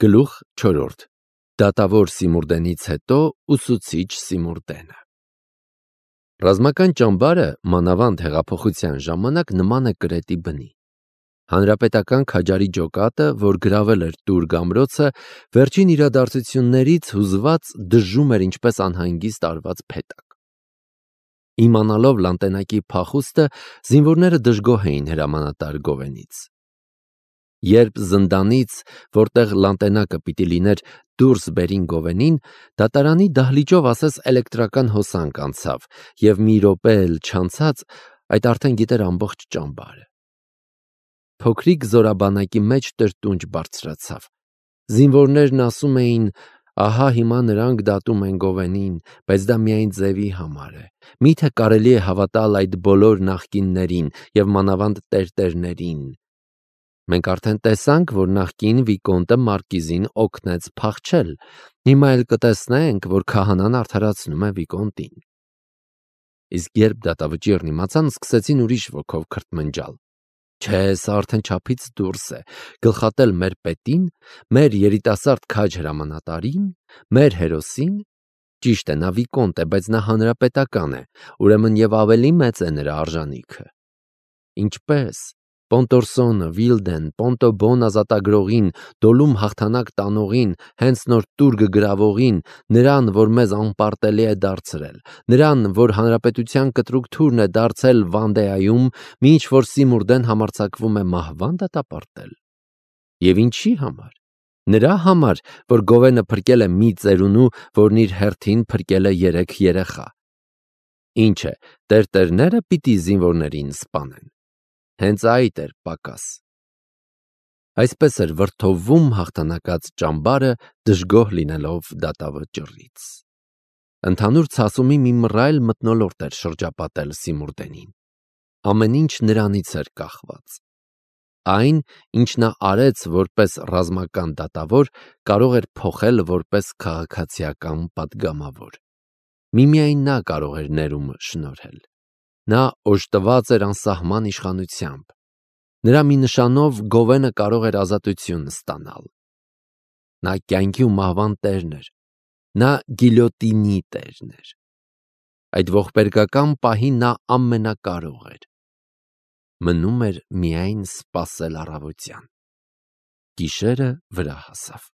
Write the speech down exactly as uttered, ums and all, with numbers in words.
Գլուխ չորրորդ. Դատավոր Սիմուրդենից հետո ուսուցիչ Սիմուրդենը։ Ռազմական ճամբարը մանավանդ հեղափոխության ժամանակ նման է կրետի բնի։ Հանրապետական քաջարի ջոկատը, որ գրավել էր Տուր գամրոցը, վերջին իրադարձություններից հուզված դժում էր ինչպես անհանգիստ արված փետակ։ Իմանալով լանտենակի փախուստը, զինվորները դժգոհ էին հրամանատար Գովենից։ Երբ զնդանից, որտեղ լանտենակը պիտի լիներ, դուրս բերին Գովենին, դատարանի դահլիճով ասես էլեկտրական հոսանք անցավ, և մի րոպե էլ չանցած, այդ արդեն գիտեր ամբողջ ճամբարը։ Փոքրիկ զորաբանակի մեջ տրտունջ բարձրացավ։ Զինվորներն ասում էին. «Ահա հիմա նրանք դատում են Գովենին, բայց դա միայն ձևի համար է։ Միթե կարելի է հավատալ այդ բոլոր նախկիններին և մանավանդ տերտերներին։ Մենք արդեն տեսանք, որ նախկին վիկոնտը մարկիզին օգնեց փախչել, հիմա էլ կտեսնենք, որ քահանան արդարացնում է վիկոնտին»։ Իսկ երբ դատավճիռն իմացան, սկսեցին ուրիշ ոգով քրթմնջալ. «Չէ, սա արդեն չափից դուրս է, գլխատել մեր պետին, մեր երիտասարդ քաջ հրամանատարին, մեր հերոսին։ Ճիշտ է, նա վիկոնտ է, բայց նա հանրապետական է, ուրեմն և ավելի մեծ է նրա արժանիքը։ Ինչպե՞ս, Պոնտորսոնը, Վիլդեն, Պոնտոբոն ազատագրողին, Դոլում հաղթանակ տանողին, հենց նոր Տուրգը գրավողին, նրան, որ մեզ անպարտելի է դարձրել, նրան, որ հանրապետության կտրուկ թուրն է դարձել Վանդեայում, մինչ որ Սիմուրդեն համարձակվում է մահվան դատապարտել։ Եվ ինչի համար։ Նրա համար, որ Գովենը փրկել է մի ծերունու, որն իր հերթին փրկել է երեք երեխա։ Ինչ է, տերտերները պիտի զինվորներին սպանեն։ Հենց այդ էր պակաս։ Այսպես էր վրդովվում հաղթանակած ճամբարը, դժգոհ լինելով դատավճռից։ Ընդհանուր ցասումի մի մռայլ մթնոլորտ էր շրջապատել Սիմուրդենին։ Ամեն ինչ նրանից էր կախված։ Այն, ինչ նա արեց որպես ռազմական դատավոր, կարող էր փոխել որպես քաղաքացիական պատգամավոր։ Միմիայն նա կարող էր ներումը շնորհել։ Նա օժտված էր անսահման իշխանությամբ։ Նրա մի նշանով Գովենը կարող էր ազատություն ստանալ։ Նա կյանքի ու մահվան տերն էր։ Նա գիլյոտինի տերն էր։ Այդ ողբերգական պահին նա ամենակարող էր։ Մնում էր միայն սպասել առավոտյան։ Գիշերը վրա հասավ։